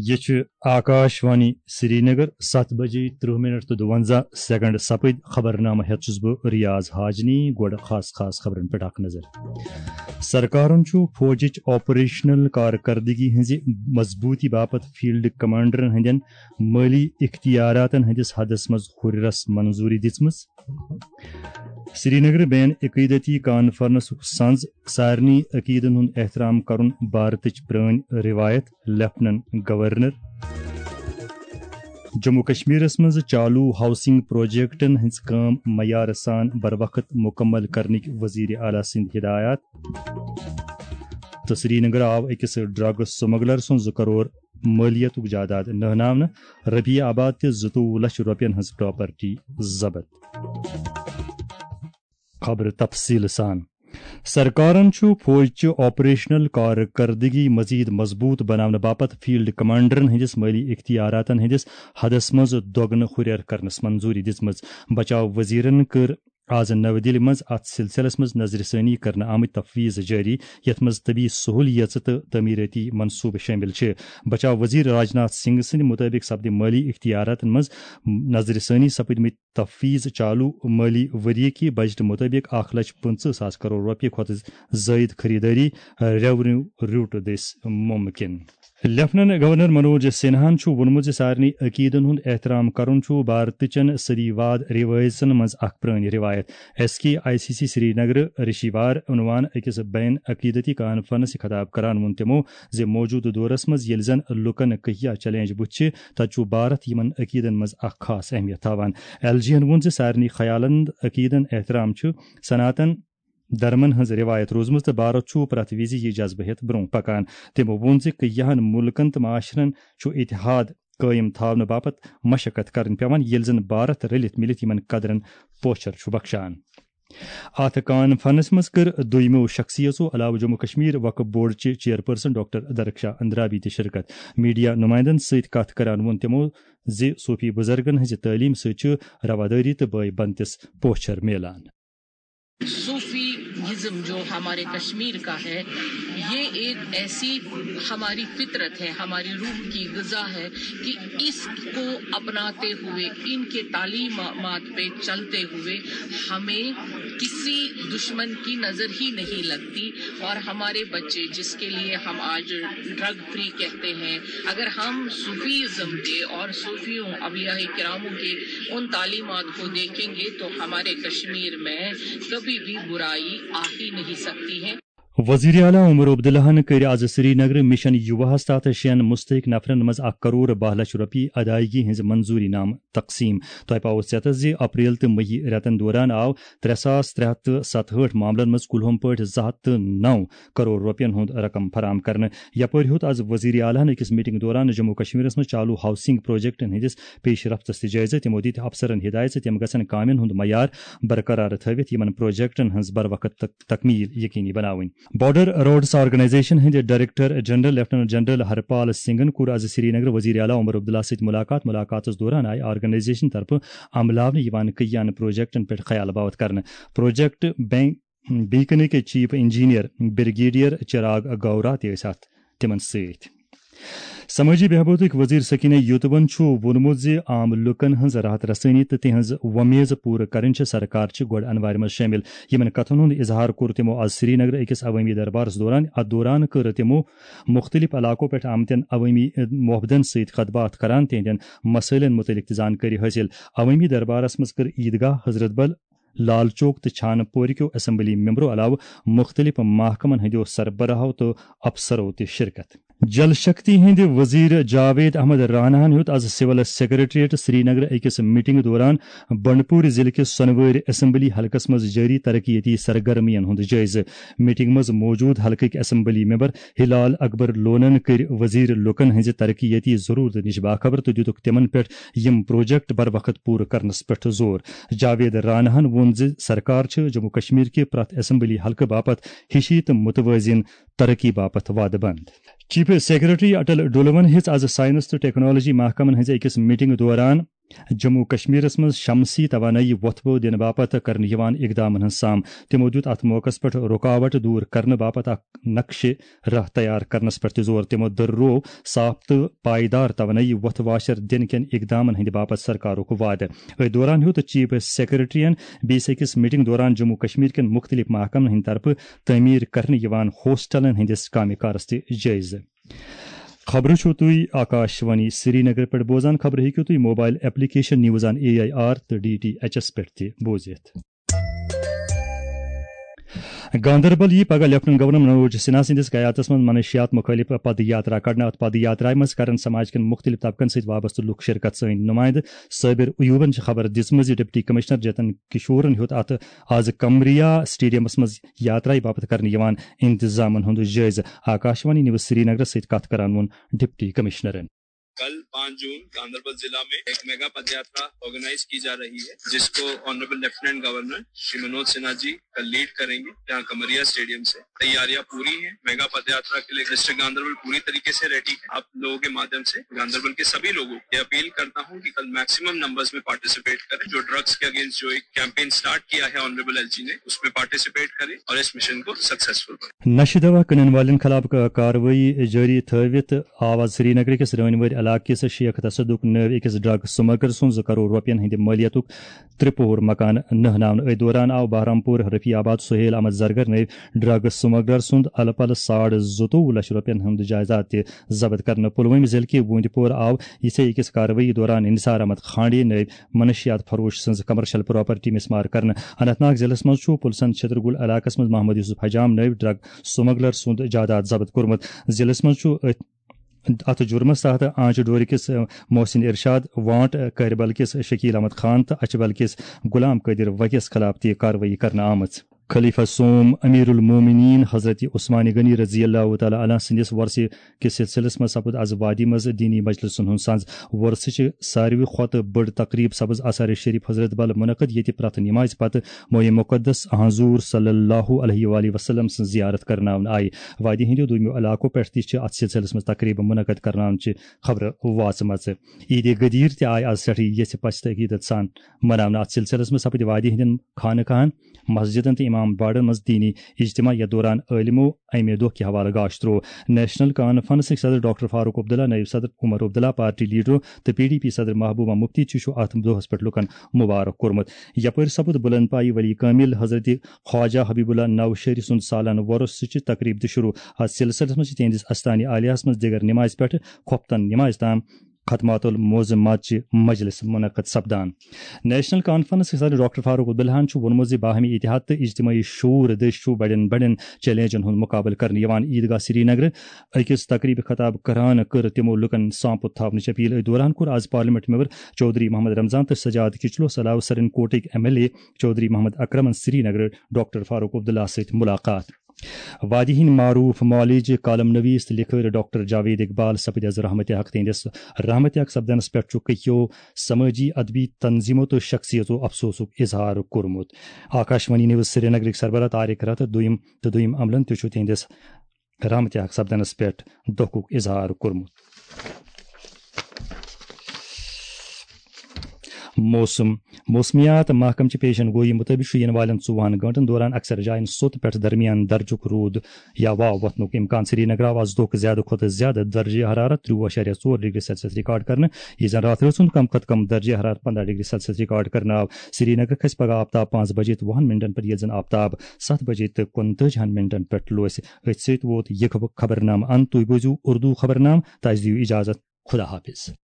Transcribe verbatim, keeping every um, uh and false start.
یہِ چھُ آکاش وانی سرینگر۔ ستھ بجے ترٕہ منٹ تہٕ دُوَنزاہ سیکنڈ سپٕدۍ۔ خبرنامہٕ ہٮ۪تھ چھُس بہٕ ریاض حاجنی۔ گۄڈٕ خاص خاص خبرن پٮ۪ٹھ اکھ نظر۔ سرکارن چھُ فوجٕچ آپریشنل کارکردگی ہٕنٛزِ مضبوٗطی باپتھ فیلڈ کمانڈرن ہٕنٛدٮ۪ن مٲلی اختیاراتن ہٕنٛدِس حدس منٛز ہُرٮ۪رس منظوٗری دِژمٕژ۔ سرینگرٕ بین عقیدتی کانفرنسُک سنز، سارنٕے عقیدن ہُنٛد احترام کرُن بھارتٕچ پرٲنۍ روایت، لیفٹننٹ گورنر۔ جموں کشمیرس منٛز چالو ہاؤسنگ پروجیکٹن ہٕنٛز کٲم معیارٕ سان بروقت مکمل کرنٕکۍ وزیر اعلیٰ سٕنٛدۍ ہدایات۔ تہٕ سرینگر آو أکِس ڈرگ سمگلر سُنٛد زٕ کرور مٲلیتُک جائیداد نہناونہٕ، ربیع آباد تہِ زٕتووُہ لچھ رۄپین ہٕنٛز پراپرٹی ضبط۔ خبرٕ تفصیٖل سان۔ سرکارن چھُ فوج چہِ آپریشنل کارکردگی مزید مضبوط بناونہٕ باپتھ فیلڈ کمانڈرن ہٕنٛدِس مٲلی اختیاراتن ہٕنٛدِس حدس منٛز دۄگنہٕ ہُرٮ۪ر کرنس منظوٗری دِژمٕژ۔ بچاو وزیرن کٔر آز نَوِ دِلہِ منٛز اَتھ سلسلس منٛز نظرِ ثٲنی کرنہٕ آمٕتۍ تفویض جٲری، یَتھ منٛز طبی سہولیژٕ تہٕ تعمیٖرٲتی منصوبہٕ شٲمِل چھِ۔ بچاو وزیر راجناتھ سنگھ سٕنٛدِ مُطٲبِق سپدِ مٲلی اختیاراتن منٛز نظرِ ثٲنی سپٕدمٕتۍ تفویض چالو مٲلی ؤریہِ کہِ بجٹہٕ مُطٲبِق اکھ لچھ پٕنٛژٕہ ساس کرور رۄپیہِ کھۄتہٕ زٲیِد خریدٲری ریونیو روٹ دٔسۍ مُمکِن۔ لیفٹننٹ گورنر منوج سنہاہن چھُ ووٚنمُت زِ سارنٕے عقیدن ہُنٛد احترام کرُن چھُ بھارتٕچن صدی واد روایژن منٛز اکھ پرٲنۍ روایت۔ S K I C C Srinagar رشیوار عنوان أکِس بین عقیدتی کانفرنس خطاب کران ووٚن تِمو زِ موجودٕ دورس منٛز ییٚلہِ زن لوٗکن کہیا چیلنج بُتھِ چھِ، تتہِ چھُ بھارت یِمن عقیدن منٛز اکھ خاص اہمیت تھاوان۔ ایل جی ہن ووٚن زِ سارنٕے خیالن، عقیدن احترام چھُ سناتن دھرمن ہٕنٛز رِوایت روٗزمٕژ تہٕ بھارت چھُ پرٛٮ۪تھ وِزِ یہِ جذبہٕ ہٮ۪تھ برٛونٛہہ پکان۔ تٔمۍ ووٚن زِ کینٛہَن مُلکَن تہٕ معاشرَن چھُ اتحاد قٲیِم تھاونہٕ باپتھ مشقت کرٕنۍ پٮ۪وان، ییٚلہِ زن بھارت رٔلِتھ مِلِتھ یِمن قدرن پوچھر چھُ بخشان۔ اتھ کانفرنس منٛز کٔر دویمو شخصیژو علاوٕ جموں کشمیر وقف بورڈ چہِ چیئرپرسن ڈاکٹر درخشا اندرابی تہِ شرکت۔ میڈیا نمائندن سۭتۍ کتھ کران ووٚن تِمو زِ صوفی بزرگن ہٕنٛزِ تعلیمہِ سۭتۍ چھُ روادٲری تہٕ بٲے بنتِس پوچھر میلان۔ صوفی ازم جو ہمارے کشمیر کا ہے، یہ ایک ایسی ہماری فطرت ہے، ہماری روح کی غذا ہے کہ اس کو اپناتے ہوئے، ان کے تعلیمات پہ چلتے ہوئے ہمیں کسی دشمن کی نظر ہی نہیں لگتی۔ اور ہمارے بچے، جس کے لیے ہم آج ڈرگ فری کہتے ہیں، اگر ہم صوفی ازم کے اور صوفیوں، اولیاء کراموں کے ان تعلیمات کو دیکھیں گے تو ہمارے کشمیر میں کبھی بھی برائی آ ہی نہیں سکتی ہے۔ وزیر اعلیٰ عمر عبداللہ ہن کٔرۍ آز سرینگر مشن یوواہس تحت شٮ۪ن مستحق نفرن منٛز اکھ کرور باہ لچھ رۄپیہِ ادائیگی ہٕنٛز منظوٗری نامہٕ تقسیٖم۔ تۄہہِ پاوو ژیتس زِ اپریل تہٕ مئی رٮ۪تن دوران آو ترٛےٚ ساس ترٛےٚ ہتھ تہٕ ستہٕ ہٲٹھ معاملن منٛز کُلہُم پٲٹھۍ زٕ ہتھ تہٕ نَو کرور رۄپین ہُنٛد رقم فراہم کرنہٕ۔ یپٲرۍ ہیوٚت آز وزیر اعلیٰ ہن أکِس میٹنگ دوران جموں کشمیرس منٛز چالو ہاؤسنگ پروجیکٹن ہٕنٛدِس پیش رفتس تہِ جٲیزٕ۔ تِمو دِتۍ افسرن ہدایت زِ تِم گژھن کامٮ۪ن ہُنٛد معیار برقرار تھٲوِتھ یِمن پروجیکٹن ہٕنٛز بروقت تک-، تکمیل یقینی بناوٕنۍ۔ بارڈر روڈز آرگنائزیشن ہٕنٛدِ ڈائریکٹر جنرل لیفٹیننٹ جنرل ہرپال سنگھن کوٚر آز سرینگر وزیر اعلیٰ عمر عبداللہ سۭتۍ ملاقات۔ ملاقاتس دوران آیہِ آرگنائزیشن طرفہٕ عملاونہٕ یِوان کٔہیاہن پروجیکٹن پٮ۪ٹھ خیال باوتھ کرنہٕ۔ پروجیکٹ بینک بیکن کے چیف انجینئر بریگیڈیئر چراغ گورا تہِ ٲسۍ اتھ تِمن سۭتۍ۔ سمٲجی بہبوٗدٕکۍ وزیر سکینہ یوتون چھُ ووٚنمُت زِ عام لوٗکَن ہٕنٛز راحت رسٲنی تہٕ تِہنٛز وۄمیز پوٗرٕ کرٕنۍ چھِ سرکار چہِ گۄڈٕ انوارِ منٛز شٲمِل۔ یِمَن کتھَن ہُنٛد اظہار کوٚر تِمو آز سرینگرٕ أکِس عوٲمی دربارَس دوران۔ اَتھ دوران کٔر تِمو مُختٔلِف علاقو پٮ۪ٹھ آمتٮ۪ن عوٲمی مۄحبدن سۭتۍ کتھ باتھ کران تِہنٛدٮ۪ن مسٲیلَن مُتعلِق تہِ زانکٲری حٲصِل۔ عوٲمی دربارَس منٛز کٔر عیدگاہ، حضرت بل، لال چوک تہٕ چھانہٕ پورِ کیو اسمبلی ممبرو علاوٕ مُختٔلِف محکمَن ہٕنٛدیو سربراہو تہٕ افسرو تہِ شرکت۔ جل شکتی ہٕنٛدِ وزیر جاوید احمد راناہن ہیوٚت از سول سیکرٹریٹ سرینگرٕ أکِس میٹنگ دوران بنڈپور ضلعہٕ کِس سۄنوٲرۍ اسمبلی حلقس منٛز جٲری ترقیتی سرگرمین ہُنٛد جٲیزٕ۔ میٹنگ منٛز موجود حلقٕکۍ اسمبلی ممبر ہلال اکبر لونن کٔرۍ وزیر لوٗکن ہٕنٛزِ ترقیتی ضرورتہٕ نِش باخبر تہٕ دِتُکھ تِمن پٮ۪ٹھ یِم پروجیکٹ بروقت پوٗرٕ کرنس پٮ۪ٹھ زور۔ جاوید راناہن ووٚن زِ سرکار چھِ جموں کشمیر کہِ پرٛٮ۪تھ اسمبلی حلقہٕ باپتھ ہِشی تہٕ متوازن ترقی باپتھ وعدٕ بنٛد۔ چیف سیکرٹری اٹل ڈولون ہیٚژ از سائنس تہٕ ٹیکنالوجی محکمن ہٕنٛزِ أکِس میٹنگ دوران جموں کشمیرس منٛز شمسی توانٲیی وۄتھبو دِنہٕ باپتھ کرنہٕ یِوان اقدامن ہٕنٛز سام۔ تِمو دیُت اتھ موقعس پٮ۪ٹھ رُکاوٹ دور کرنہٕ باپتھ اکھ نقشہِ راہ تیار کرنس پٮ۪ٹھ تہِ زور۔ تِمو دۄہروو صاف تہٕ پائیدار توانٲیی وۄتھٕ واشر دِنہٕ کٮ۪ن اقدامن ہٕنٛدِ باپتھ سرکارُک وعدٕ۔ أتھۍ دوران ہیوٚت چیف سیکرٹریَن بیٚیِس أکِس میٹنگ دوران جموں کشمیر کٮ۪ن مُختٔلِف محکمن ہٕنٛدِ طرفہٕ تعمیٖر کرنہٕ یِوان ہوسٹلن ہٕنٛدِس کامہِ کارس تہِ جٲیزٕ۔ خبرٕ چھِو تُہۍ آکاشوانی سرینگر پٮ۪ٹھ بوزان۔ خبرٕ ہیٚکِو تُہۍ mobile application news on A I R تہٕ ڈی ٹی ایچ ایس پٮ۪ٹھ تہِ بوٗزِتھ۔ گاندربل یی پگاہ لیفٹننٹ گورنر منوج سنہا سٕنٛدِس قیادتس منٛز منشیات مُخٲلف پد یاترا کڑنہٕ۔ اتھ پد یاترایہِ منٛز کرن سماج کٮ۪ن مُختٔلِف طبقن سۭتۍ وابستہٕ لُکھ شرکت۔ سٲنۍ نُمایندٕ صابر ایوبن چھِ خبر دِژمٕژ زِ ڈپٹی کمشنر جتن کشورن ہیوٚت اتھ آز کمریا اسٹیڈیمس منٛز یاترایہِ باپتھ کرنہٕ یِوان انتظامن ہُنٛد جٲیزٕ۔ آکاشوانی نیوز سرینگرس سۭتۍ کتھ کران ووٚن ڈپٹی کمشنرن۔ کل پانچ جون گاندربل ضلع میں ایک میگا پد یاترا آرگنائز کی جا رہی ہے، جس کو honourable lieutenant governor Shri Manoj Sinha ji کل لیڈ کریں گے، جہاں کمریا اسٹیڈیم سے تیاریاں پوری ہیں۔ میگا پد یاترا کے لیے ڈسٹرکٹ گاندربل پوری طریقے سے ریڈی ہے۔ آپ لوگوں کے مادھیم سے گاندربل کے سبھی لوگوں کو یہ اپیل کرتا ہوں کہ کل میکسیمم نمبرز میں پارٹیسپیٹ کریں۔ جو ڈرگز کے اگینسٹ جو ایک کیمپین سٹارٹ کیا ہے آنریبل ایل جی نے، اس میں پارٹیسپیٹ کریں اور اس مشن کو سکسیسفل بنائیں۔ نشہ دوا کٕنن والٮ۪ن خلاف ک-، کاروٲیی جٲری تھٲوِتھ آو آز سرینگر کِس رٲنۍ وٲرۍ علاقہٕ کِس شیخ تصدق نٲوۍ أکِس ڈرگ سمگلر سُنٛد زٕ کرور رۄپین ہٕنٛدِ مٲلیتُک ترٛےٚ پوہر مکان نہناونہٕ۔ أتھۍ دوران آو بہرامپور رفیع آباد سہیل احمد زرگر نٲوۍ ڈرگ سمگلر سُنٛد الہٕ پلہٕ ساڑ زٕتووُہ لچھ رۄپین ہُنٛد جائیداد تہِ ضبط کرنہٕ۔ پلوٲمۍ ضلعہٕ کہِ ووٗنٛدِ پورٕ آو یِژھے أکِس کاروٲیی دوران انصار احمد کھانڈے نٲوۍ منشیات فروش سٕنٛز کمرشل پراپرٹی مِسمار کرنہٕ۔ اننت ناگ ضلعس منٛز چھُ پُلسن چھترگُل علاقس منٛز محمد یوسف حجام نٲوۍ ڈرگ سمگلر سُنٛد جائیداد ضبط کوٚرمُت۔ ضلعس منٛز چھُ أتھۍ، اتھ جُرمس تحت آنچہ ڈورِ کِس، اہ، محسن ارشاد، وانٹ کہربل کِس شکیل احمد خان تہٕ اچھبل کِس غلام قٲدر وگیس خلاف تہِ کاروٲیی کرنہٕ آمٕژ۔ خلیفہ سوم امیر المومنین حضرت عثمان غنی رضی اللہ تعالیٰ عنہ سٕنٛدِس ورثہٕ کِس سلسلس منٛز سپُد از وادی منٛز دینی مجلسن ہُنٛد سنز۔ ورثہٕ چہِ ساروی کھۄتہٕ بٔڑ تقریب سپٕز آثار شریف حضرت بل منعقد، ییٚتہِ پرٛٮ۪تھ نمازِ پتہٕ موئے مقدس حضور صلی اللہ علیہ وآلہ وسلم سٕنٛز زیارت کرناونہٕ آیہِ۔ وادی ہٕنٛدیو دوٗنیو علاقو پٮ۪ٹھ تہِ چھِ اتھ سلسلس منٛز تقریبہٕ منعقد کرناونٕچہِ خبرٕ واژمژٕ۔ عید غدیر تہِ آیہِ از سٮ۪ٹھٕے یژھِ پژھِ تہٕ عقیدت سان مناونہٕ۔ اتھ سلسلس منٛز سپٕدۍ وادی ہٕنٛدٮ۪ن خانہٕ کاہن، مسجدن تہٕ امام باڑن منٛز دینی اجتماع، یتھ دوران عٲلمو امہِ دۄہ کہِ حوالہٕ گاش تروو۔ نیشنل کانفرنسٕکۍ صدر ڈاکٹر فاروق عبداللہ، نٲیِب صدر عمر عبداللہ، پارٹی لیڈرو تہٕ پی ڈی پی صدر محبوبہ مفتی تہِ چھُ اتھ دۄہس پٮ۪ٹھ لُکن مبارک کوٚرمُت۔ یپٲرۍ سپُد بلند پایہِ ولی کامل حضرت خواجہ حبیب اللہ نوشہری سُنٛد سالانہٕ وۄرُس سۭتۍ چھِ تقریب تہِ شروع۔ اتھ سلسلس منٛز چھِ تِہنٛدِس استانِ عالیہس منٛز دِگر نمازِ پٮ۪ٹھ خۄفتن نمازِ تام ختمات المعظمات چہِ مجلس منعقد سپدان۔ نیشنل کانفرنس کِس صدر ڈاکٹر فاروق عبداللہن چھُ ووٚنمُت زِ باہمی اتحاد تہٕ اجتماعی شعور دٔسۍ چھُ بڑٮ۪ن بڑٮ۪ن چیلنجن ہُنٛد مقابلہٕ کرنہٕ یِوان۔ عیدگاہ سرینگر أکِس تقریبہِ خطاب کران کٔر تِمو لُکن سانپُت تھاونٕچ اپیل۔ أتھۍ دوران کوٚر از پارلیمنٹ ممبر چودھری محمد رمضان تہٕ سجاد کچلوس علاوٕ سرن کوٹٕکۍ M L A Chaudhary Mohammad اکرمن سرینگر ڈاکٹر فاروق عبداللہ سۭتۍ ملاقات۔ وادی ہٕنٛدۍ معروف معالج، کالم نویس تہٕ لکھٲرۍ ڈاکٹر جاوید اقبال سپٕدۍ از رحمت حق۔ تہنٛدِس رحمت حق سپدنس پٮ۪ٹھ چھُ کٔکیو سمٲجی ادبی تنظیمو تہٕ شخصیتو افسوسُک اظہار کوٚرمُت۔ آکاشوانی نیوز سرینگرٕکۍ سربراہ طارق رتھ دوٚیِم تہٕ دوٚیِم عملن تہِ چھُ تہنٛدِس رحمت حق سپدنس پٮ۪ٹھ دۄکھُک اظہار کوٚرمُت۔ موسم۔ موسمیات محکمہٕ چہِ پیشن گویی مُطٲبِق چھُ یِنہٕ والٮ۪ن ژوٚوُہن گٲنٛٹن دوران اکثر جاین سوٚت پٮ۪ٹھ درمیان درجُک روٗد یا واو وۄتھنُک امکان۔ سرینگر آو از دۄہُک زیادٕ کھۄتہٕ زیادٕ درجہ حرارت ترٛوُہ اَشاریہ ژور ڈگری سیلسیس ریکارڈ کرنہٕ، یہِ زن راتھ رٲژ ہُنٛد کم کھۄتہٕ کم درجہ حرارت پنٛداہ ڈگری سیلسیس ریکارڈ کرنہٕ آو۔ سرینگر کھسہِ پگاہ آفتاب پانٛژھ بجے تہٕ وُہن منٹن پٮ۪ٹھ، ییٚلہِ زن آفتاب ستھ بجے تہٕ کُنتٲجِہن منٹن پٮ۪ٹھ لوسہِ۔ أتھۍ سۭتۍ ووت یہِ خب-، خبرنامہٕ انت۔ تُہۍ بوٗزِو اردو خبرنامہٕ، تہٕ اَسہِ دِیِو اجازت۔ خدا حافظ۔